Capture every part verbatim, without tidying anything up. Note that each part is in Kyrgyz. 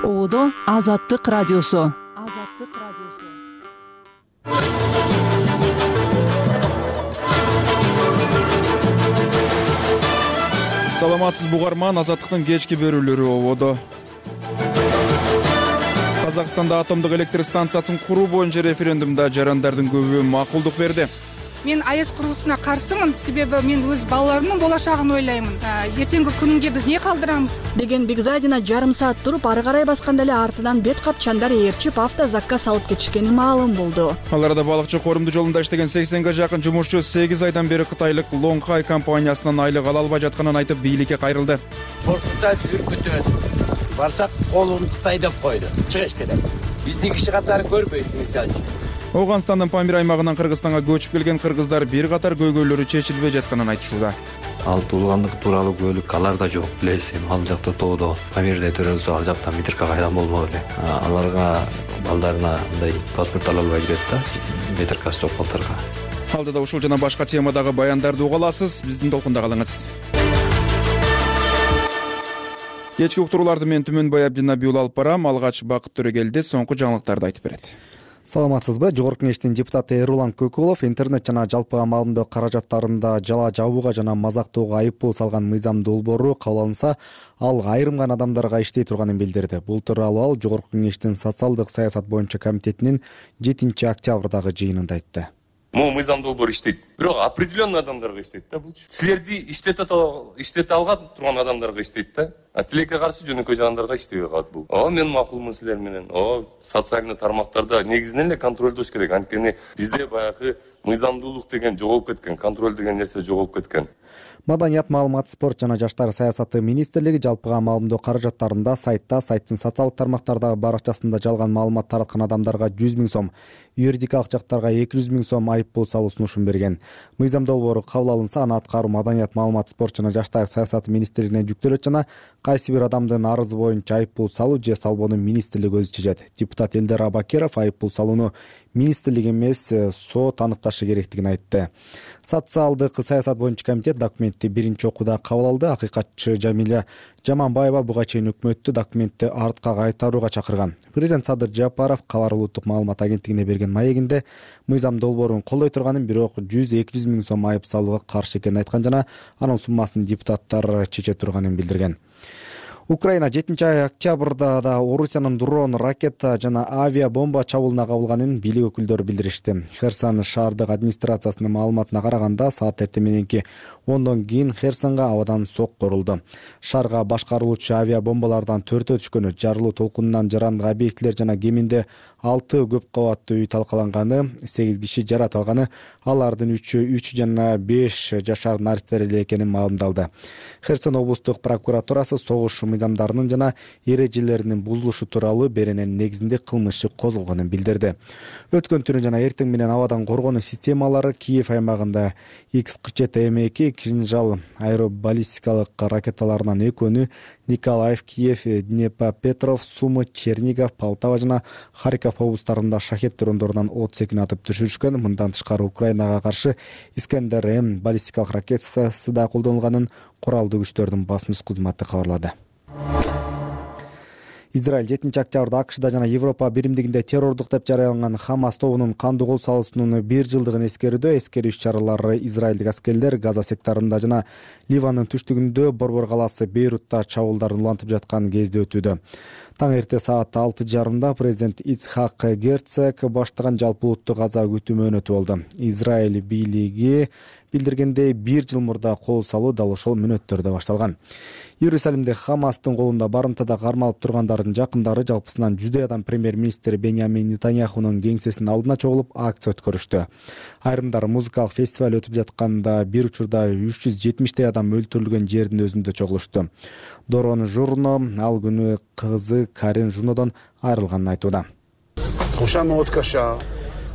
Ободо Азаттык радиосу. Азаттык радиосу. Саламатсыз бугарман, Азаттыктын кечки бөрүлөрү ободо. Казакстанда атомдук электр станциясын куруу боюнча референдумда жарандардын көбү макулдук берди. Мен АЭС курулушуна каршымын, себеби мен өз балаларымдын болашагын ойлоймун. Эртеңки күнгө биз не калдырамыз деген Бигзадина жарым саат туруп ары карай басканда эле артынан бет капчандар ээрчип автозакка салып кетишкени маалым болду. Ал арада балыкчы коорумду жолунда иштеген сексенге жакын жумушчу сегиз айдан бери кытайлык Лонгхай компаниясынан айлык ала албай жатканын айтып бийликке кайрылды. Портта жүргүтөт. Барсак колун Кытай деп койду. Чыгыш кетет. Биздин киши катары көрбөйт мисалы үчүн. Оганстандын Памир аймагынан Кыргызстанга көчүп келген кыргыздар бир катар көйгөйлөрү чечилбей жатканын айтышууда. Ал туулгандык тууралуу күбөлүк алар да жок. Билесиз, ал жакта тоодо Памирде төрөлсө ал жактан Митирка кайдан болмок эле. Аларга балдарына мындай паспорт ала албай жүрөт да, Митиркасы жок балдарга. Алдыда ушул жана башка темадагы баяндарды уга аласыз. Биздин толкунда калыңыз. Кечки уктурууларды мен Түмөнбай Абдинабиул алып барам. Алгач Бакыт Төрөгелди соңку жаңылыктарды айтып берет. Саламатсызбы? Жогорку кеңештин депутаты Эрулан Көкулов интернет жана жалпыга маалымдоо каражаттарында жала жабууга жана мазактоого айыппул салган мыйзам долбоору кабыл алынса, ал айрым гана адамдарга иштей турганын билдирди. Бул тууралуу ал Жогорку кеңештин социалдык саясат боюнча комитетинин жетинчи октябрдагы жыйынында айтты. Могу мыйзам долбоор иштейт. Бирок определенный адамдарга иштейт да бул. Силерди иштете иштете алган турган адамдарга иштейт да. А тилекке каршы жөнөкөй жарандарга иштебей калат бул. О, мен макулмун силер менен. О, социалдык тармактарда негизинен эле контролдош керек. Анткени бизде баягы мыйзамдуулук деген жоголуп кеткен, контроль деген нерсе жоголуп кеткен. Маданият, маалымат, спорт жана жаштар саясаты министрлиги жалпыга маалымдоо каражаттарында сайтта, сайттын социалдык тармактардагы баракчасында жалган маалымат тараткан адамдарга жүз миң сом, юридикалык жактарга эки жүз миң сом айыппул салуу сунушун берген. Мыйзам долбоору кабыл алынса, аны аткаруу Маданият, маалымат, спорт жана жаштар саясаты министрлигине жүктөлөт жана кайсы бир адамдын арызы боюнча айыппул салуу же салбоону министрлик өзү чечет. Депутат Элдар Абакеров айыппул салууну министрлик эмес, сот аныкташы керектигин айтты. Социалдык саясат боюнча комитет документти биринчи окууда кабыл алды. Акыйкатчы Жамиля Жаманбаева буга чейин өкмөттү документти артка кайтарууга чакырган. Президент Садыр Жапаров Кабар улуттук маалымат агенттигине берген маегинде мыйзам долбоорун колдой турганын, бирок жүз эки жүз миң сом айып салууга каршы экенин айткан жана анын суммасын депутаттар чече турганын билдирген. Украина жетинчи октябрда да Орусиянын дрон, ракета жана авиа бомба чабуулуна кабылганын бийлик өкүлдөрү билдиришти. Херсон шаардык администрациясынын маалыматына караганда, саат эртең мененки ондон кийин Херсонго абадан сок корулду. Шаарга башкарылуучу авиа бомбалардан төртөө түшкөнү, жарылуу толкунунан жарандык объектилер жана кеминде алты көп кабаттуу үй талкаланганы, сегиз киши жарат алганы, алардын үчөө үч жана беш жашар наристер эле экени маалымдалды. Херсон облустук прокуратурасы согуш мыйзамдарынын жана эрежелеринин бузулушу тууралуу беренен негизинде кылмыш иши козголгонун билдирди. Өткөн түнү жана эртең менен абадан коргонуу системалары Киев аймагында икс кырк жети эм эки кинжал аэробаллистикалык ракеталарынан экөөнү Николаев, Киев, Днепропетров, Сумы, Чернигов, Полтава жана Харьков облустарында шахет дрондорунан отуз экини атып түшүрүшкөн. Мындан тышкары Украинага каршы Искандер М баллистикалык ракетасы да колдонулганын куралдуу күчтөрдүн басмыш кызматы кабарлады. Израиль жетинчи октябрда АКШда жана Европа биримдигинде террордук деп жарыяланган Хамас тобунун кандуу кол салуусунун бир жылдыгын эскерүүдө эскерүү иш-чаралары израилдик аскерлер Газа секторунда жана Ливандын түштүгүндө Борбор калаасы Бейрутта чабуулдарын улантып жаткан кезде өтүүдө. Таң эрте саат алты жарымда президент Ицхак Герцог баштаган жалпы улуттук Газа күтүүмө өнөтүп болду. Израиль бийлиги билдиргендей, бир жыл мурда кол салуу дал ошол мүнөттөрдө башталган. Иерусалимде Хамастын колунда барымтада кармалып тургандардын жакындары жалпысынан жүздөй адам премьер-министр Беньямин Нетаньяхунун кеңсесинин алдына чогулуп акция өткөрүштү. Айрымдар музыкалык фестиваль өтүп жатканда бир учурда үч жүз жетимиштей адам өлтүрүлгөн жердин өзүндө чогулушту. Дорон Журно ал күнү кызы Карин Журнодон айрылганын айтууда.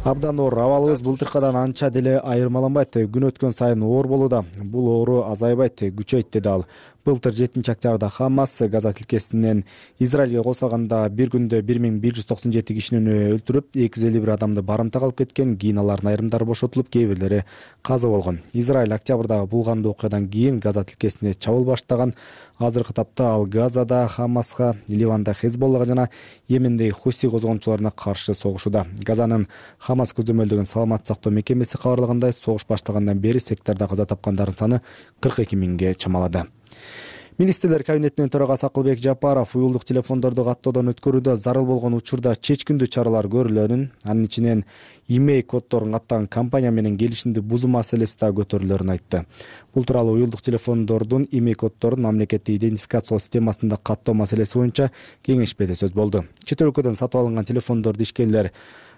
Абдан оор, абалыбыз былтыркадан анча деле айырмаланбайт. Күн өткөн сайын оор болууда. Бул оору азайбайт, күчөйт деди ал. Былтыр жетинчи октябрда Хамас Газа тилкесинен Израилге кол салганда бир күндө бир миң бир жүз токсон жети кишини өлтүрүп, эки жүз элүү бир адамды барымтага алып кеткен. Кийин алардын айрымдары бошотулуп, кээ бирлери каза болгон. Израиль октябрдагы булгандуу окуядан кийин Газа тилкесине чабуул баштаган. Азыркы тапта ал Газада Хамаска, Ливанда Хезболлага жана Йемендеги Хуси козгоончуларына каршы согушууда. Газанын Хамас көзөмөлдөгөн саламаттык сактоо мекемеси кабарлагандай, согуш баштагандан бери сектордо каза тапкандардын саны кырк эки миңге чамалады. Министрлер кабинетинин төрагасы Акылбек Жапаров уюлдук телефондорду каттоодон өткөрүүдө зарыл болгон учурда чечкиндүү чаралар көрүлөөрүн, анын ичинен имей коддорун каттаган компания менен келишимди бузуу маселеси да көтөрүлөөрүн айтты. Бул тууралуу уюлдук телефондордун имей коддорун мамлекеттик идентификациялоо системасында каттоо маселеси боюнча кеңешмеде сөз болду. Чет өлкөдөн сатып алынган телефондорду ишкерлер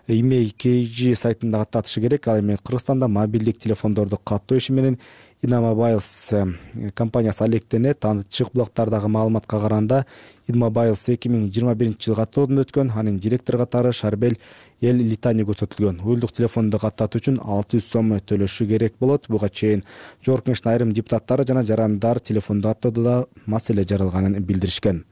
имей кей жи сайтында каттатышы керек. Ал эми Кыргызстанда мобилдик телефондорду каттоо иши менен Инамобайлс компаниясы алектенет. Ачык булактардагы маалыматка караганда Инамобайлс эки миң жыйырма биринчи жылы каттоодон өткөн. Анын директору катары Шарбел Эл Литани көрсөтүлгөн. Уюлдук телефонду каттатуу үчүн алты жүз сом төлөшү керек болот. Буга чейин Жогорку Кеңештин айрым депутаттары жана жарандар телефонду каттоодо маселе жаралганын билдиришкен.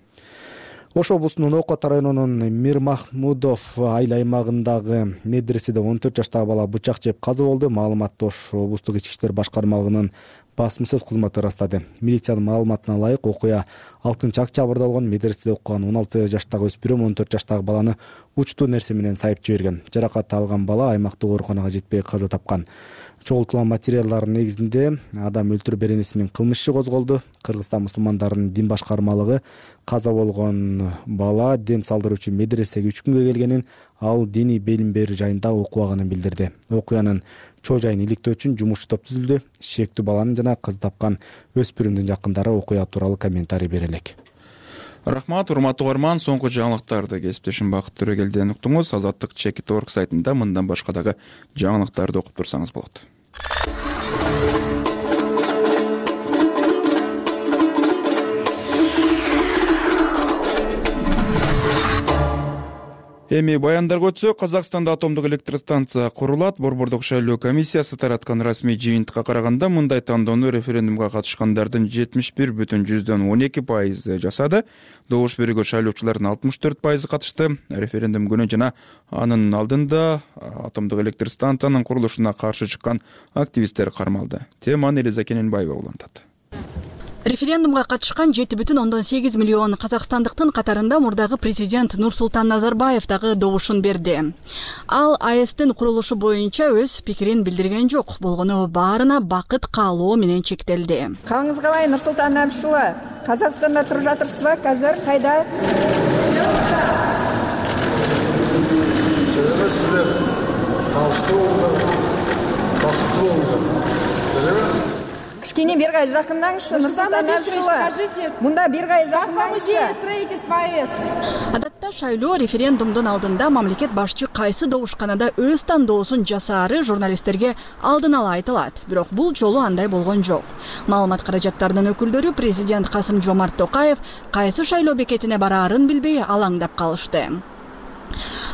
Ош облусунун Окот районунун Мир Махмудов айыл аймагындагы медреседе он төрт жаштагы бала бычак жеп каза болду. Маалыматты Ош облустук ички иштер башкармалыгынын басма сөз кызматы ырастады. Милициянын маалыматына ылайык, окуя алтынчы октябрда болгон. Медреседе окуган он алты жаштагы өспүрүм он төрт жаштагы баланы учтуу нерсе менен сайып жиберген. Жаракат алган бала аймактык ооруканага жетпей каза тапкан. Чогултулган материалдардын негизинде адам өлтүрүү беренеси менен кылмыш иши козголду. Кыргызстан мусулмандарынын дин башкармалыгы каза болгон бала дем салдыруучу медресеге үч күнгө келгенин, ал диний билим берүү жайында окубаганын билдирди. Окуянын чоо жайын иликтөө үчүн жумушчу топ түзүлдү. Шектүү баланын жана кыз тапкан өспүрүмдүн жакындары окуя тууралуу комментарий бере элек. Рахмат, урматтуу угарман, соңку жаңылыктарды кесиптешим Бакыт Төрөгелден уктуңуз. Азаттык чекит точка орг сайтында мындан башка дагы жаңылыктарды окуп турсаңыз болот. Эми баяндарга өтсөк, Казакстанда атомдук электростанция курулат. Борбордук шайлоо комиссиясы тараткан расмий жыйынтыкка караганда, мындай тандоону референдумга катышкандардын жетимиш бир бүтүн жүздөн он эки пайызы жасады. Добуш берүүгө шайлоочулардын алтымыш төрт пайызы катышты. Референдум күнү жана анын алдында атомдук электростанциянын курулушуна каршы чыккан активисттер кармалды. Теманы Элиза Кененбаева улантат. Референдумга катышкан жети бүтүн ондон сегиз миллион казакстандыктын катарында мурдагы президент Нурсултан Назарбаев дагы добушун берди. Ал А Эстин курулушу боюнча өз пикирин билдирген жок, болгону баарына бакыт каалоо менен чектелди. Калыңыз калай, Нурсултан Абишұлы? Казакстанда туруп жатырсызбы? Казыр кайда? Сиздер табыштуу болуңуздар, бакыттуу болуңуздар. Кичкене бир кай жакындаңызчы, Нурсултан Абишұлы. Мында бир кай жакындаңызчы. Строительство А Эс. Адатта шайлоо референдумдун алдында мамлекет башчы кайсы добушканада өз тандоосун жасаары журналисттерге алдын ала айтылат. Бирок бул жолу андай болгон жок. Маалымат каражаттарынын өкүлдөрү президент Касым Жомарт Токаев кайсы шайлоо бекетине бараарын билбей алаңдап калышты.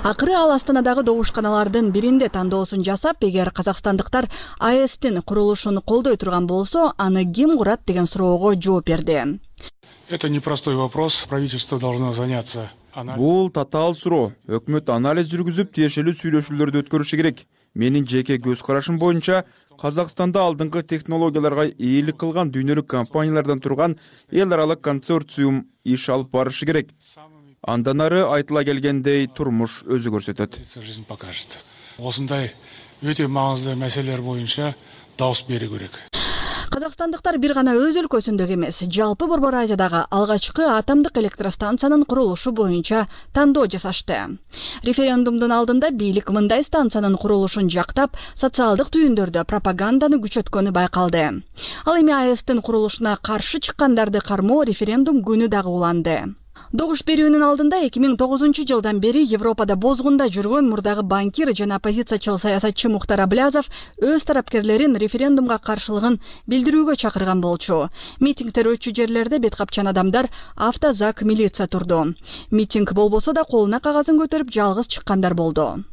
Акыры ал Астанадагы добушканалардын биринде тандоосун жасап, эгер казакстандыктар А Эстин курулушун колдой турган болсо, аны ким курат деген суроого жооп берди. Это непростой вопрос. Правительство должно заняться. Бул татаал суроо. Өкмөт анализ жүргүзүп, тиешелүү сүйлөшүүлөрдү өткөрүшү керек. Менин жеке көз карашым боюнча, Казакстанда алдыңкы технологияларга ээлик кылган дүйнөлүк компаниялардан турган эл аралык консорциум иш алып барышы керек. Андан ары айтыла келгендей турмуш өзү көрсөтөт. Жизнь покажет. Осындай өтө маңызды маселелер боюнча дауыс берүү керек. Казакстандыктар бир гана өз өлкөсүндөгү эмес, жалпы Борбор Азиядагы алгачкы атомдук электростанциянын курулушу боюнча тандоо жасашты. Референдумдун алдында бийлик мындай станциянын курулушун жактап, социалдык түйүндөрдө пропаганданы күчөткөнү байкалды. Ал эми А Эстин курулушуна каршы чыккандарды кармоо референдум күнү дагы уланды. Добуш берүүнүн алдында эки миң тогузунчу жылдан бери Европада бозгунда жүргөн мурдагы банкир жана оппозициячыл саясатчы Мухтар Аблязов өз тарапкерлерин референдумга каршылыгын билдирүүгө чакырган болчу. Митингдер өтчү жерлерде бет капчан адамдар автозак милиция турду. Митинг болбосо да колуна кагазын көтөрүп жалгыз чыккандар болду.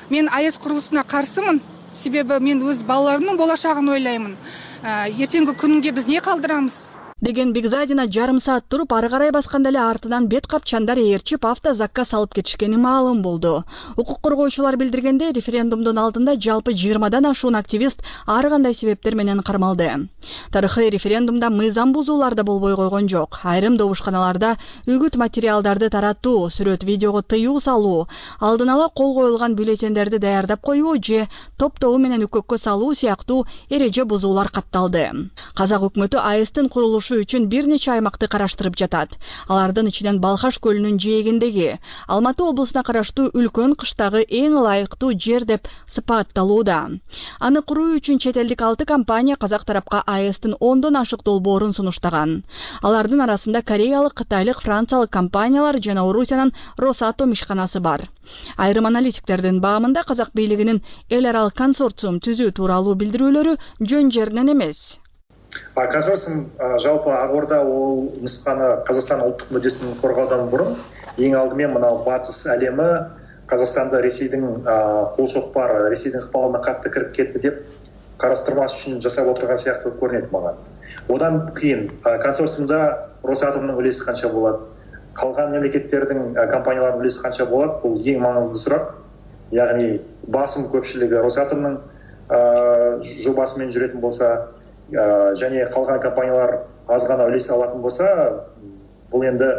Мен А Эс курулусуна каршымын. Себеби мен өз балаларымдын болашагын ойлаймын. Эртеңки күнгө биз не калдырамыз? деген Бигзадина жарым саат туруп ары карай басканда эле артынан бет капчандар ээрчип автозакка салып кетишкени маалым болду. Укук коргоочулар билдиргендей, референдумдун алдында жалпы жыйырмадан ашуун активист ар кандай себептер менен кармалды. Тарыхый референдумда мыйзам бузуулар да болбой койгон жок. Айрым добушканаларда үгүт материалдарды таратуу, сүрөт видеого тыюу салуу, алдын ала кол коюлган бюллетендерди даярдап коюу же топтоо менен үкөккө салуу сыяктуу эреже бузуулар катталды. Казак өкмөтү АЭСтин курулушу үчүн бир нече аймакты караштырып жатат. Алардын ичинен Балхаш көлүнүн жээгиндеги Алматы облусуна караштуу үлкөн кыштагы эң ылайыктуу жер деп сыпатталууда. Аны куруу үчүн чет элдик алты компания казак тарапка АЭСтин ондон ашык долбоорун сунуштаган. Алардын арасында кореялык, кытайлык, франциялык компаниялар жана Орусиянын Росатом ишканасы бар. Айрым аналитиктердин баамында казак бийлигинин эл аралык консорциум түзүү тууралуу билдирүүлөрү жөн жеринен эмес. Консорциум жалпы Акордо ол нусканы Казакстан улуттук мүддесин коргоодон мурун эң алдымен мынау батыс әлемі Қазақстанды Ресейдің кол шоқпары, Ресейдің ыкпалына катты кирип кетти деп карастырмас үчүн жасап отурган сыяктуу көрүнөт мага. Одан кийин консорциумда Росатомдун үлеси канча болот, калган мемлекеттердин компаниялардын үлеси канча болот, бул эң маңыздуу сурак. Ягни басым көпчүлүгү Росатомдун жобасы менен жүрөтүн болса, және калган компаниялар аз гана үлес алатын болса, бул энди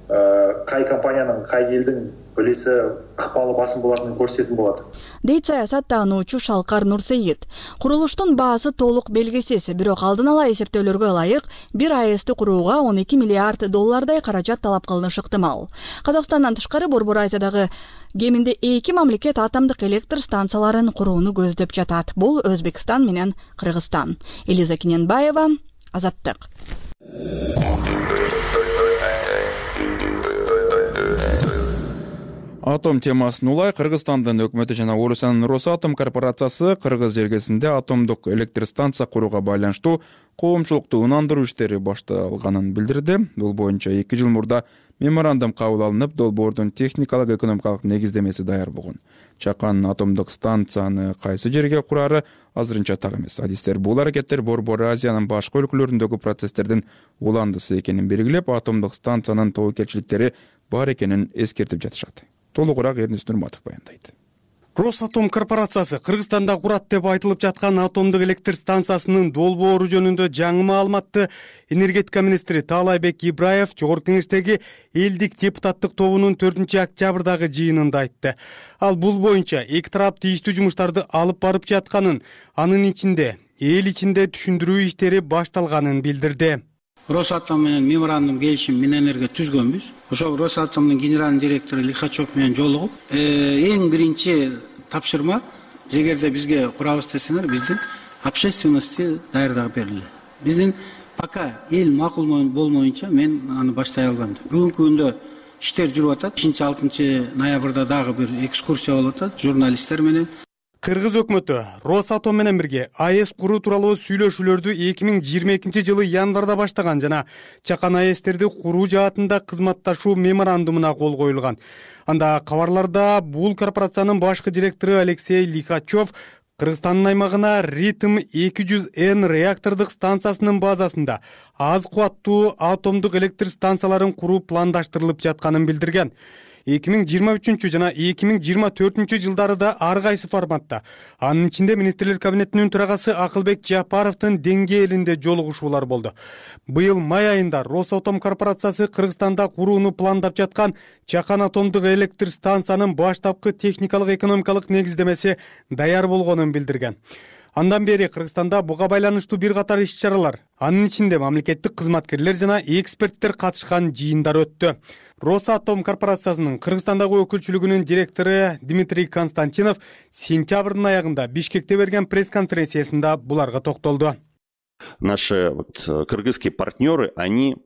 кай компаниянын, кай элдин үлесі ыкпалы басым болатынын көрсөтүн болот. Дейт саясаттануучу Шалкар Нурсейит. Курулуштун баасы толук белгисиз, бирок алдын ала эсептөөлөргө ылайык бир АЭСти курууга он эки миллиард доллардай каражат талап кылынышы ыктымал. Казакстандан тышкары Борбор Азиядагы кеминде эки мамлекет атомдук электр станцияларын курууну көздөп жатат. Бул Өзбекстан менен Кыргызстан. Элиза Киненбаева, Азаттык. Атом темасын улай Кыргызстандын өкмөтү жана Орусиянын Росатом корпорациясы Кыргыз жергесинде атомдук электр станция курууга байланыштуу коомчулукту ынандыруу иштери башталганын билдирди. Бул боюнча эки жыл мурда меморандум кабыл алынып, долбоордун техникалык экономикалык негиздемеси даяр болгон. Чакан атомдук станцияны кайсы жерге курары азырынча так эмес. Адистер бул аракеттер Борбор Азиянын башка өлкөлөрүндөгү процесстердин уландысы экенин белгилеп, атомдук станциянын тобокелчиликтери бар экенин эскертип жатышат. Толугураак Эрнест Нурматов баяндайт. Росатом корпорациясы Кыргызстанда курат деп айтылып жаткан атомдук электр станциясынын долбоору жөнүндө жаңы маалыматты энергетика министри Таалайбек Ибраев Жогорку Кеңештеги элдик депутаттык тобунун төртүнчү октябрдагы жыйынында айтты. Ал бул боюнча эки тарап тийиштүү жумуштарды алып барып жатканын, анын ичинде эл ичинде түшүндүрүү иштери башталганын билдирди. Росатом менен меморандум келишим мененерге түзгөнбүз. Ошол Росатомдун генеральный директору Лихачев менен жолугуп, эң биринчи тапшырма, эгерде бизге курабыз десеңер, биздин общественности даярдап берилди. Биздин пока эл макул болмоюнча мен аны баштай албайм. Бүгүнкү күндө иштер жүрүп атат. бешинчи-алтынчы ноябрда дагы бир экскурсия болуп атат журналисттер менен. Кыргыз өкмөтү Росатом менен бирге АЭС куруу тууралуу сүйлөшүүлөрдү эки миң жыйырма экинчи жылы январда баштаган жана чакан АЭСтерди куруу жаатында кызматташуу меморандумуна кол коюлган. Анда кабарларда бул корпорациянын башкы директору Алексей Лихачев Кыргызстандын аймагына Ритм эки жүз эн реактордук станциясынын базасында аз кубаттуу атомдук электр станцияларын куруу пландаштырылып жатканын билдирген. эки миң жыйырма үчүнчү жана эки миң жыйырма төртүнчү жылдары да ар кайсы форматта, анын ичинде министрлер кабинетинин төрагасы Акылбек Жапаровдун деңгээлинде жолугушуулар болду. Быйыл май айында Росатом корпорациясы Кыргызстанда курууну пландап жаткан Чакан атомдук электр станциянын баштапкы техникалык экономикалык негиздемеси даяр болгонун билдирген. Андан бери Кыргызстанда буга байланыштуу бир катар иш-чаралар, анын ичинде мамлекеттик кызматкерлер жана эксперттер катышкан жыйындар өттү. Росатом корпорациясынын Кыргызстандагы өкүлчүлүгүнүн директору Дмитрий Константинов сентябрдын аягында Бишкекте берген пресс-конференциясында буларга токтолду. Наши вот кыргызские партнеры, они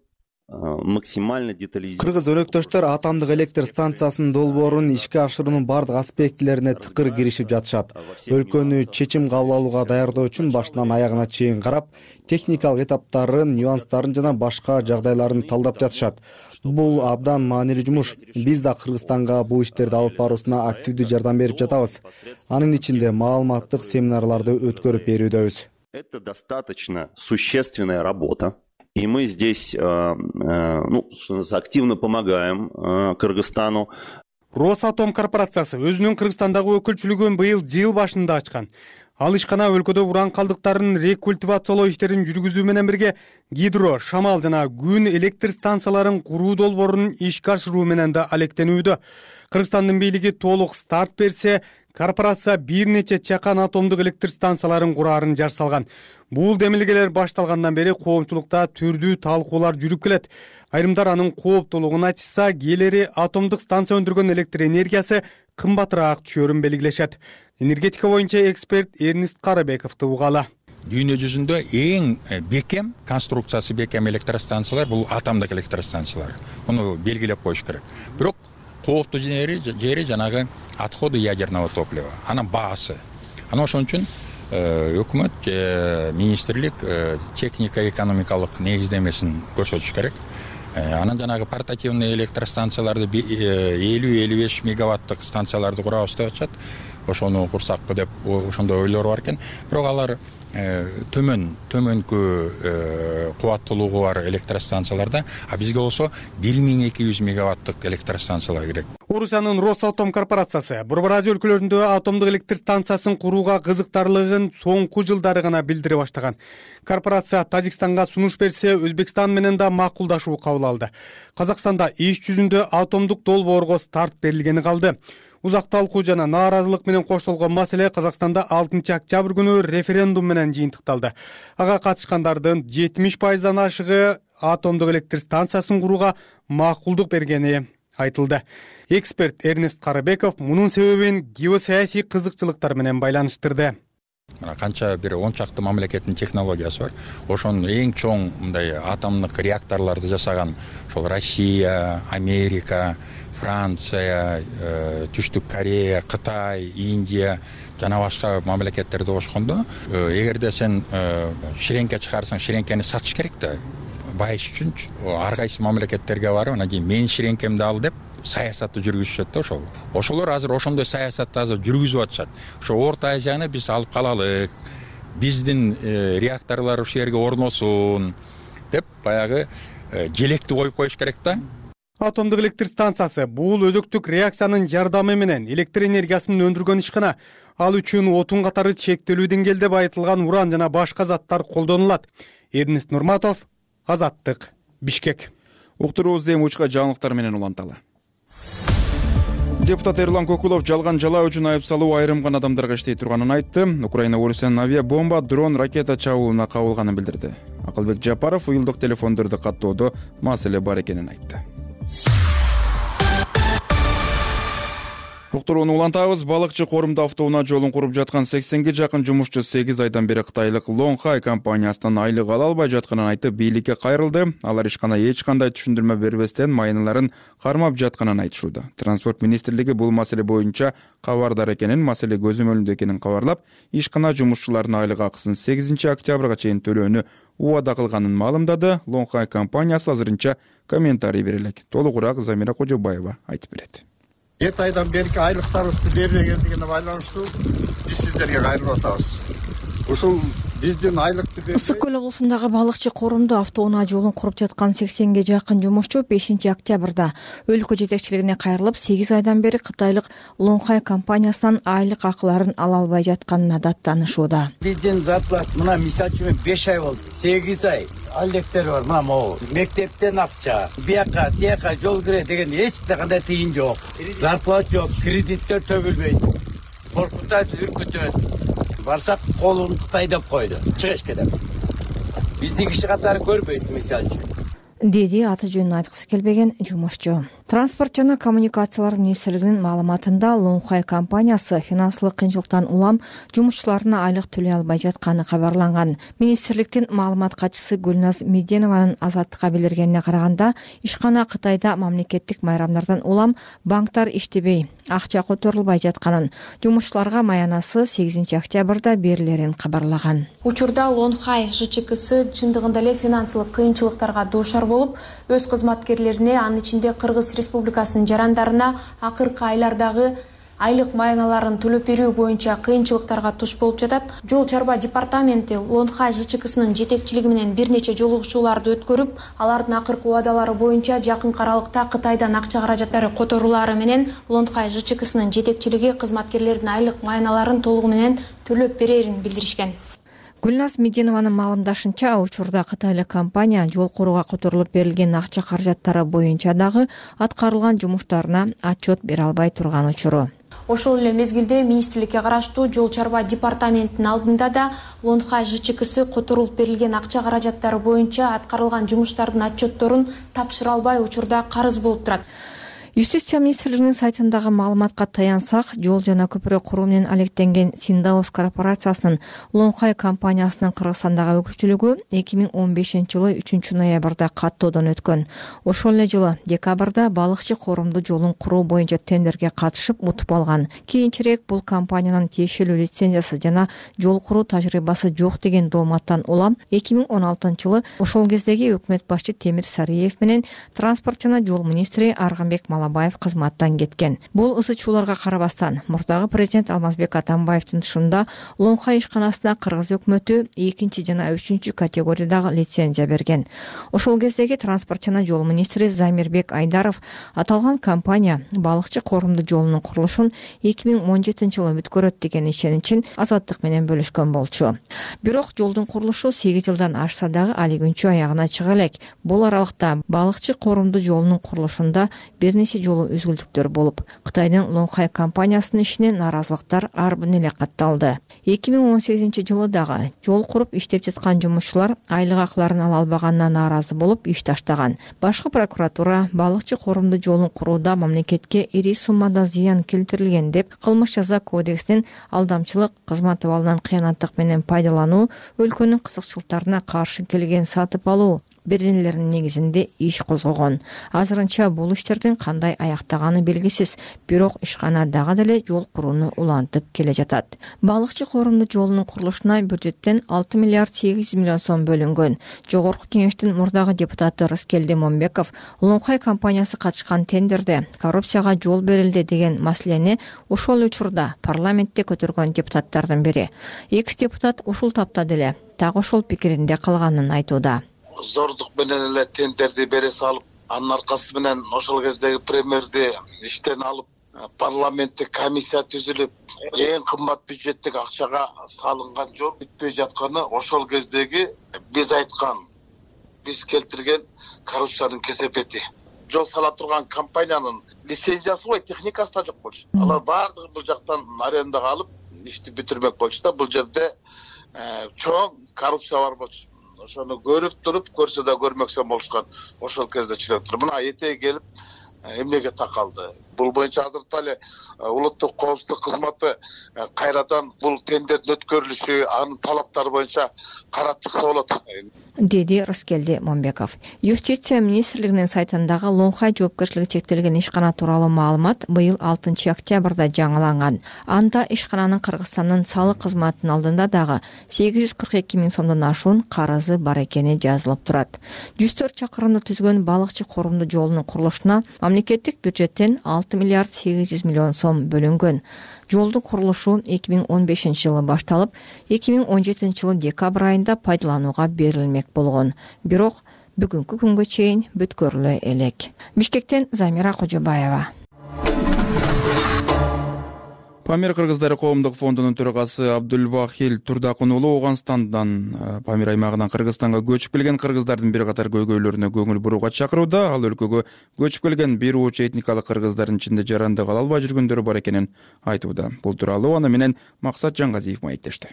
максимально детализированы. Кыргыз өнөктөштөр атомдук электр станциясынын долбоорун ишке ашыруунун бардык аспектилерине тыкыр киришип жатышат. Өлкөнү чечим кабыл алууга даярдоо үчүн башынан аягына чейин карап, техникалык этаптарын, нюанстарын жана башка жагдайларын талдап жатышат. Бул абдан маанилүү жумуш. Биз да Кыргызстанга бул иштерди алып баруусуна активдүү жардам берип жатабыз. Анын ичинде маалыматтык семинарларды өткөрүп берүүдөбүз. Это достаточно существенная работа. И мы здесь ну, активно помогаем Кыргызстану. Росатом корпорациясы өзүнүн Кыргызстандагы өкүлчүлүгүн быйыл жыл башында ачкан. Ал ишкана өлкөдө уран калдыктарын рекультивациялоо иштерин жүргүзүү менен бирге гидро, шамал жана күн электр станцияларын куруу долбоорун ишке ашыруу менен да алектенүүдө. Кыргызстандын бийлиги толук старт берсе, корпорация бир нече чакан атомдук электр станцияларын кураарын жар салган. Бул демилгелер башталгандан бери коомчулукта түрдүү талкуулар жүрүп келет. Айрымдар анын кооптуулугун айтышса, кээлери атомдук станция өндүргөн электр энергиясы кымбатыраак түшөөрүн белгилешет. Энергетика боюнча эксперт Эрнест Карыбековду угалы. Дүйнө жүзүндө эң бекем, конструкциясы бекем электростанциялар бул атомдук электростанциялар. Муну белгилеп коюш керек. Бирок кооптуу жери жери жанагы отходы ядерного топлива. Анын баасы. Ана ошон үчүн өкмөт же министрлик техника экономикалык негиздемесин көрсөтүш керек. Анан жанагы портативный электростанцияларды элүү элүү беш мегаваттык станцияларды курабыз деп атышат. Ошону курсакпы деп ошондой ойлор бар экен. Бирок алар төмөн төмөнкү кубаттуулугу бар электростанцияларда, а бизге болсо бир миң эки жүз мегаваттык электростанциялар керек. Орусиянын Росатом корпорациясы Борбор Азия өлкөлөрүндө атомдук электр станциясын курууга кызыктарлыгын соңку жылдары гана билдире баштаган. Корпорация Тажикстанга сунуш берсе, Өзбекстан менен да макулдашуу кабыл алды. Казакстанда иш жүзүндө атомдук долбоорго старт берилгени калды. Узак талкуу жана нааразылык менен коштолгон маселе Казакстанда алтынчы октябрь күнү референдум менен жыйынтыкталды. Ага катышкандардын жетимиш пайыздан ашыгы атомдук электр станциясын курууга макулдук бергени айтылды. Эксперт Эрнест Карыбеков мунун себебин геосаясий кызыкчылыктар менен байланыштырды. Мына канча бир он чакты мамлекеттин технологиясы бар. Ошонун эң чоң мындай атомдук реакторлорду жасаган ошол Россия, Америка, Франция, Түштүк Корея, Кытай, Индия жана башка мамлекеттерди кошкондо, эгерде сен ширеңке чыгарсаң, ширеңкени сатыш керек да. Байыш үчүн ар кайсы мамлекеттерге барып, анан кийин мен ширеңкемди ал деп саясатты жүргүзүшөт да ошол. Ошолор азыр ошондой саясатты азыр жүргүзүп атышат. Ошо Орто Азияны биз алып калалык, биздин реакторлор ушул жерге орносун деп баягы желекти коюп коюш керек да. Атомдук электр станциясы бул өзөктүк реакциянын жардамы менен электр энергиясын өндүргөн ишкана. Ал үчүн отун катары чектелүү деңгээлде байытылган уран жана башка заттар колдонулат. Эрнест Нурматов, Азаттык, Бишкек. Уктуруубузду эми учка жаңылыктар менен уланталы. Депутат Эрлан Көкүлов жалган жалаа үчүн айып салуу айрым гана адамдарга иштей турганын айтты. Украина Орусиянын авиабомба, дрон, ракета чабуулуна кабылганын билдирди. Акылбек Жапаров уюлдук телефондорду каттоодо маселе бар экенин айтты. Уктурууну улантабыз. Балыкчы корумда автоунаа жолун куруп жаткан сексенге жакын жумушчу сегиз айдан бери кытайлык Лонхай компаниясынан айлык ала албай жатканын айтып, бийликке кайрылды. Алар ишкана эч кандай түшүндүрмө бербестен майныларын кармап жатканын айтышууда. Транспорт министрлиги бул маселе боюнча кабардар экенин, маселе көзөмөлүндө экенин кабарлап, ишкана жумушчулардын айлык акысын сегизинчи октябрга чейин төлөөнү убада кылганын маалымдады. Лонхай компаниясы азырынча комментарий бере элек. Толугураак Замира Кожобаева айтып берет. Эки айдан берки айлыктарыбызды бербегендигине байланыштуу биз сиздерге кайрылып атабыз. Ушул биздин айлыкты бербей Ысык көл облусундагы балыкчы корумда автоунаа жолун куруп жаткан сексенге жакын жумушчу бешинчи октябрда өлкө жетекчилигине кайрылып, сегиз айдан бери кытайлык Лонхай компаниясынан айлык акыларын ала албай жатканына даттанышууда. Биздин зарплат мына мисалы үчүн беш ай болду. сегиз ай алектер бар, мына могу. Мектептен акча, бияка, тияка жол кире деген эч кандай тыйын жок. Зарплат жок, кредиттер төбөлбөйт. Коркутат, үркүтөт. Барсак колун Кытай деп койду. Чыгыш кетет. Биздин киши катары көрбөйт мисалы үчүн. Деди аты жөнүн айткысы келбеген жумушчу. Транспорт жана коммуникациялар министрлигинин маалыматында Лонхай компаниясы финансылык кыйынчылыктан улам жумушчуларына айлык төлөй албай жатканы кабарланган. Министрликтин маалымат катчысы Гүлназ Меденованын Азаттыкка билдиргенине караганда, ишкана Кытайда мамлекеттик майрамдардан улам банктар иштебей, акча которулбай жатканын, жумушчуларга маянасы сегизинчи октябрда берилерин кабарлаган. Учурда Лонхай ЖЧКсы чындыгында эле финансылык кыйынчылыктарга дуушар болуп, өз кызматкерлерине, анын ичинде Кыргыз Республикасынын жарандарына акыркы айлардагы айлык майналарын төлөп берүү боюнча кыйынчылыктарга туш болуп жатат. Жол чарба департаменти Лонхай ЖЧКсынын жетекчилиги менен бир нече жолугушууларды өткөрүп, алардын акыркы убадалары боюнча жакынкы аралыкта Кытайдан акча каражаттары которулары менен Лонхай ЖЧКсынын жетекчилиги кызматкерлердин айлык майналарын толугу менен төлөп берерин билдиришкен. Гүлназ Мединованын маалымдашынча, учурда кытайлык компания жол курууга которулуп берилген акча каражаттары боюнча дагы аткарылган жумуштарына отчет бере албай турган учуру. Ошол эле мезгилде министрликке караштуу жол чарба департаментинин алдында да Лонхай ЖЧКсы которулуп берилген акча каражаттары боюнча аткарылган жумуштардын отчетторун тапшыра албай учурда карыз болуп турат. Юстиция министрлигинин сайтындагы маалыматка таянсак, жол жана көпүрө куруу менен алектенген Синдаус корпорациясынын Лонхай компаниясынын Кыргызстандагы өкүлчүлүгү эки миң он бешинчи жылы үчүнчү ноябрда каттоодон өткөн. Ошол эле жылы декабрда балыкчы коорумдуу жолун куруу боюнча тендерге катышып утуп алган. Кийинчерээк бул компаниянын тиешелүү лицензиясы жана жол куруу тажрыйбасы жок деген дооматтан улам эки миң он алтынчы жылы ошол кездеги өкмөт башчы Темир Сариев менен транспорт жана жол министри Арганбек Малабаев кызматтан кеткен. Бул ысы чууларга карабастан, мурдагы президент Алмазбек Атамбаевдин тушунда Лонхай ишканасына кыргыз өкмөтү экинчи жана үчүнчү категориядагы лицензия берген. Ошол кездеги транспорт жана жол министри Замирбек Айдаров аталган компания балыкчы коорумдуу жолунун курулушун эки миң он жетинчи жылы бүткөрөт деген ишеничин Азаттык менен бөлүшкөн болчу. Бирок жолдун курулушу сегиз жылдан ашса дагы али күнчө аягына чыга элек. Бул аралыкта балыкчы коорумдуу жолунун курулушунда бир нече жолу үзгүлтүктөр болуп, Кытайдын Лонхай компаниясынын ишине нааразылыктар арбын эле катталды. эки миң он сегизинчи жылы дагы жол куруп иштеп жаткан жумушчулар айлык акыларын ала албаганына нааразы болуп иш таштаган. Башкы прокуратура балыкчы коорумдуу жолун курууда мамлекетке ири суммада зыян келтирилген деп кылмыш жаза кодексинин алдамчылык, кызмат абалынан кыянаттык менен пайдалануу, өлкөнүн кызыкчылыктарына каршы келген сатып алуу беренелеринин негизинде иш козгогон. Азырынча бул иштердин кандай аяктаганы белгисиз, бирок ишкана дагы деле жол курууну улантып келе жатат. Балыкчы коорумдуу жолунун курулушуна бюджеттен алты миллиард сегиз жүз миллион сом бөлүнгөн. Жогорку кеңештин мурдагы депутаты Рыскелди Момбеков Лонхай компаниясы катышкан тендерде коррупцияга жол берилди деген маселени ошол учурда парламентте көтөргөн депутаттардын бири. Экс депутат ушул тапта деле так ошол пикиринде калганын айтууда. Зордук менен эле тендерди бере салып, анын аркасы менен ошол кездеги премьерди иштен алып, парламентте комиссия түзүлүп, эң кымбат бюджеттик акчага салынган жол бүтпөй жатканы ошол кездеги биз айткан, биз келтирген коррупциянын кесепети. Жол сала турган компаниянын лицензиясы ой техникасы да жок болчу. Алар баардыгы бул жактан арендага алып, ишти бүтүрмөк болчу да, бул жерде чоң коррупция бар болчу. Ошону көрүп туруп, көрсө да көрмөксө болушкан. Ошол кезде чыгып туруп, мына этеги келип эмнеге такалды. Бул боюнча азыркы эле улуттук коопсуздук кызматы кайрадан бул тендердин өткөрүлүшү, анын талаптары боюнча карап чыкса болот, деди Рыскелди Момбеков. Юстиция министрлигинин сайтындагы Лонхай жоопкерчилиги чектелген ишкана тууралуу маалымат быйыл алтынчы октябрда жаңыланган. Анда ишкананын Кыргызстандын салык кызматынын алдында дагы сегиз жүз кырк эки миң сомдон ашуун карызы бар экени жазылып турат. жүз төрт чакырымды түзгөн балыкчы коорумдуу жолунун курулушуна мамлекеттик бюджеттен алты миллиард сегиз жүз миллион сом бөлүнгөн. Жолдун курулушу эки миң он бешинчи жылы башталып, эки миң он жетинчи жылы декабрь айында пайдаланууга берилмек болгон. Бирок бүгүнкү күнгө чейин бүткөрүлө элек. Бишкектен Замира Кожобаева. Памир кыргыздары коомдук фондунун төрагасы Абдулвахил Турдакун уулу Ооганстандан, Памир аймагынан Кыргызстанга көчүп келген кыргыздардын бир катар көйгөйлөрүнө көңүл бурууга чакырууда. Ал өлкөгө көчүп келген бир ууч этникалык кыргыздардын ичинде жарандык ала албай жүргөндөр бар экенин айтууда. Бул тууралуу аны менен Максат Жаңгазиев маектешти.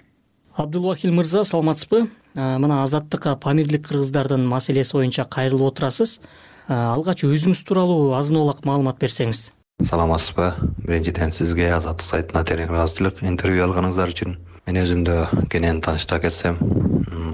Абдулвахил мырза, саламатсызбы? Мына Азаттыкка памирлик кыргыздардын маселеси боюнча кайрылып отурасыз. Алгач өзүңүз тууралуу азын-олак маалымат берсеңиз. Саламатсызбы? Биринчиден сизге Азаттык сайтына терең ыраазычылык интервью алганыңыздар үчүн. Мен өзүмдү кенен тааныштыра кетсем,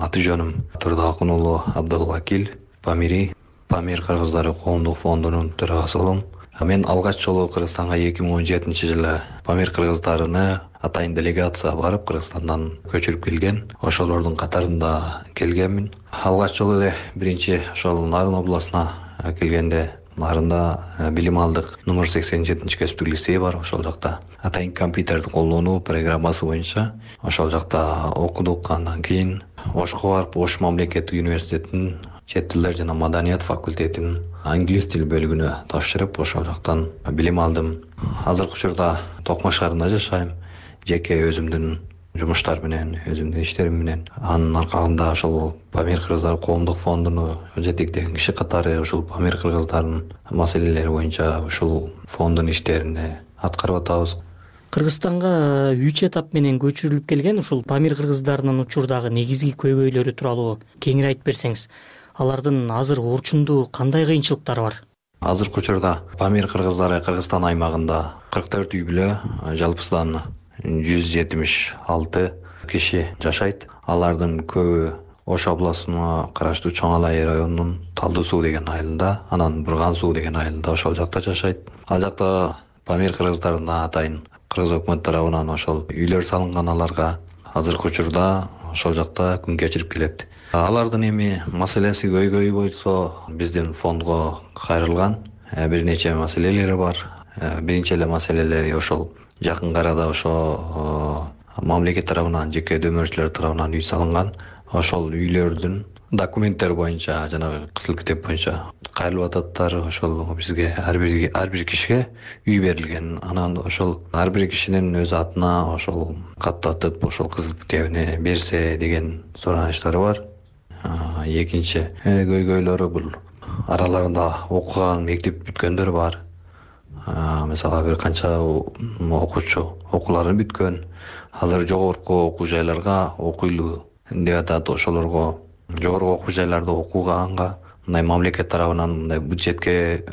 аты жөнүм Турдакун уулу Абдулвакил, Памири, Памир кыргыздары коомдук фондунун төрагасы болом. Мен алгач жолу Кыргызстанга эки миң он жетинчи жылы Памир кыргыздарыны атайын делегация барып Кыргызстандан көчүрүп келген. Ошолордун катарында келгенмин. Алгач жолу эле биринчи ошол Нарын областына келгенде Нарында билим алдык номер сексен жетинчи кесиптик лицей бар. Ошол жакта атайын компьютерди колдонуу программасы боюнча ошол жакта окудук. Андан кийин Ошко барып, Ош мамлекеттик университетинин чет тилдер жана маданият факультетинин англис тил бөлүгүнө тапшырып, ошол жактан билим алдым. Азыркы учурда Токмак шаарында жашайм. Жеке өзүмдүн жумуштар менен, өзүмдүн иштерим менен. Анын аркагында ошол Памир кыргыздары коомдук фондуну жетектеген киши катары ушул Памир кыргыздарынын маселелери боюнча ушул фонддун иштерине аткарып атабыз. Кыргызстанга үч этап менен көчүрүлүп келген ушул Памир кыргыздарынын учурдагы негизги көйгөйлөрү тууралуу кеңири айтып берсеңиз. Алардын азыр орчунду кандай кыйынчылыктары бар? Азыркы учурда Памир кыргыздары Кыргызстан аймагында кырк төрт үй бүлө, жалпысынан жүз жетимиш алты киши жашайт. Алардын көбү Ош областына караштуу Чоң Алай районунун Талдуу суу деген айылында, анан Бурган суу деген айылда ошол жакта жашайт. Ал жакта Памир кыргыздарына атайын кыргыз өкмөт тарабынан ошол үйлөр салынган аларга. Азыркы учурда ошол жакта күн кечирип келет. Алардын эми маселеси көйгөйү болсо биздин фондго кайрылган бир нече маселелери бар. Биринчи эле маселелери ошол жакын арада ошо мамлекет тарабынан, жеке дөмөрчүлөр тарабынан үй салынган. Ошол үйлөрдүн документтери боюнча, жанагы кызыл китеп боюнча кайрылып ататтар. Ошол бизге ар бир ар бир кишиге үй берилген. Анан ошол ар бир кишинин өз атына ошол каттатып, ошол кызыл китебине берсе деген суранычтары бар. Экинчи көйгөйлөрү бул араларында окуган, мектеп бүткөндөр бар. Мисалы бир канча окуучу окууларын бүткөн, алар жогорку окуу жайларга окуйлуу деп атат. Ошолорго жогорку окуу жайларда окуганга мындай мамлекет тарабынан мындай бюджетке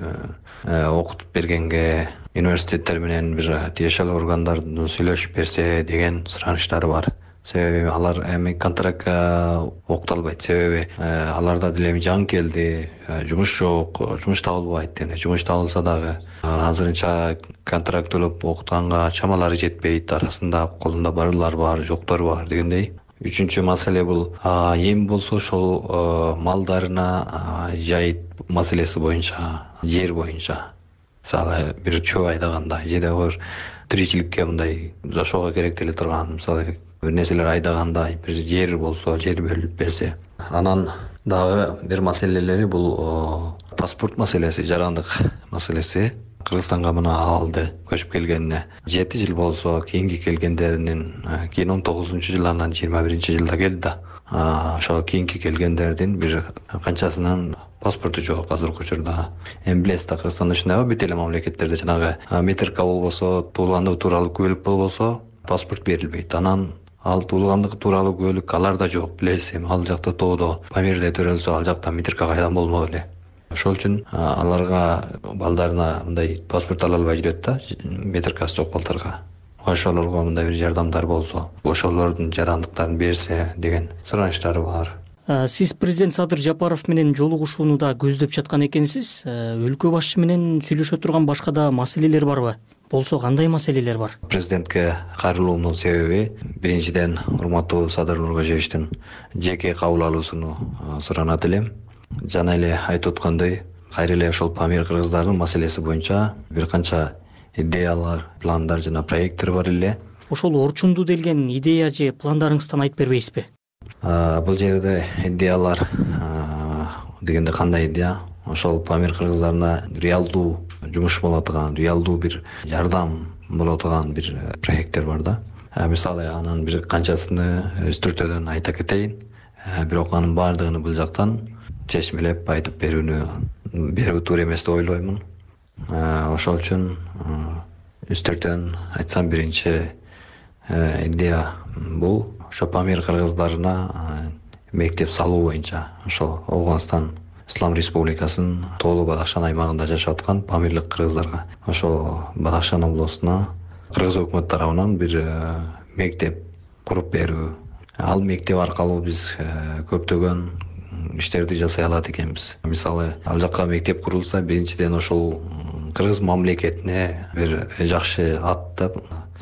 окутуп бергенге университеттер менен бир тиешелүү органдар сүйлөшүп берсе деген суранычтары бар. Себеби алар эми контрактка окуталбайт. Себеби аларда деле жан келди, жумуш жок, жумуш табылбайт. Эми жумуш табылса дагы азырынча контракт төлөп окутканга чамалары жетпейт. Арасында колунда барлар бар, жоктор бар дегендей. Үчүнчү маселе бул эми болсо ошол малдарына жайыт маселеси боюнча, жер боюнча. Мисалы бир чөп айдаганда, же дагы тиричиликке мындай жашоого керек деле турган, мисалы бир нерселер айдаганда бир жер болсо, жер бөлүп берсе. Анан дагы бир маселелери бул паспорт маселеси, жарандык маселеси. Кыргызстанга мына алды көчүп келгенине жети жыл болсо, кийинки келгендеринин кийин он тогузунчу жыл, анан жыйырма биринчи жылда келди да. Ошо кийинки келгендердин бир канчасынын паспорту жок азыркы учурда. Эми билесиз да, Кыргызстанда ушундай бүт эле мамлекеттерде жанагы метрика болбосо, туулгандыгы тууралуу куәлик болбосо паспорт берилбейт. Анан ал туулгандыгы тууралуу куәлик аларда жок. Билесиз, эми ал жакта тоодо Памирде төрөлсө, ал жакта метрика кайдан болмок эле. Ошол үчүн аларга балдарына мындай паспорт ала албай жүрөт да, метрикасы жок балдарга. Ошолорго мындай бир жардамдар болсо, ошолордун жарандыктарын берсе деген суранычтары бар. Сиз президент Садыр Жапаров менен жолугушууну да көздөп жаткан экенсиз. Өлкө башчы менен сүйлөшө турган башка да маселелер барбы? Болсо кандай маселелер бар? Президентке кайрылуумдун себеби биринчиден урматтуу Садыр Нуркожоевичтин жеке кабыл алуусуну суранат элем. Жана эле айтып аткандай, кайра эле ошол Памир кыргыздарынын маселеси боюнча бир канча идеялар, пландар жана проекттер бар эле. Ошол орчунду делген идея же пландарыңыздан айтып бербейсизби? Бул жерде идеялар дегенде кандай идея? Ошол Памир кыргыздарына реалдуу жумуш боло турган, реалдуу бир жардам боло турган бир проекттер бар да. Мисалы анын бир канчасыны өстүртөдөн айта кетейин. Бирок анын баардыгын бул жактан чечмелеп айтып берүүнү берүү туура эмес деп ойлоймун. Ошол үчүн үстүртөн айтсам, биринчи идея бул ошо Памир кыргыздарына мектеп салуу боюнча. Ошол Афганстан Ислам Республикасынын Тоолуу Бадахшан аймагында жашап аткан памирлик кыргыздарга ошол Бадахшан областуна кыргыз өкмөт тарабынан бир мектеп куруп берүү. Ал мектеп аркылуу биз көптөгөн иштерди жасай алат экенбиз. Мисалы, ал жакка мектеп курулса, биринчиден ошол кыргыз мамлекетине бир жакшы аттап,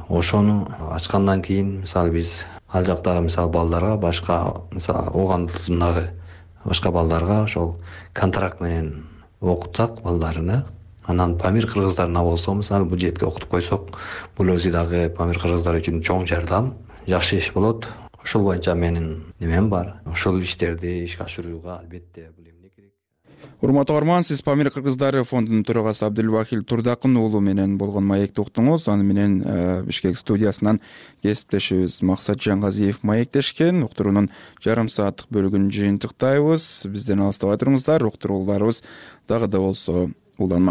ошону ачкандан кийин, мисалы биз ал жактагы мисалы балдарга, башка мисалы Оогандагы башка балдарга ошол контракт менен окутсак балдарына, анан Памир кыргыздарына болсо мисалы бюджетке окутуп койсок, бул өзү дагы Памир кыргыздар үчүн чоң жардам, жакшы иш болот. Ошол боюнча менин немем бар. Ошол иштерди ишке ашырууга албетте бул эмне керек. Урматтуу угарман, сиз Памир кыргыздары фондунун төрагасы Абдылвахил Турдакын уулу менен болгон маекти уктуңуз. Аны менен Бишкек студиясынан кесиптешибиз Максат Жангазиев маектешкен. Уктуруунун жарым сааттык бөлүгүн жыйынтыктайбыз. Бизден алыстабай туруңуздар. Уктурууларыбыз дагы да болсо уланмак.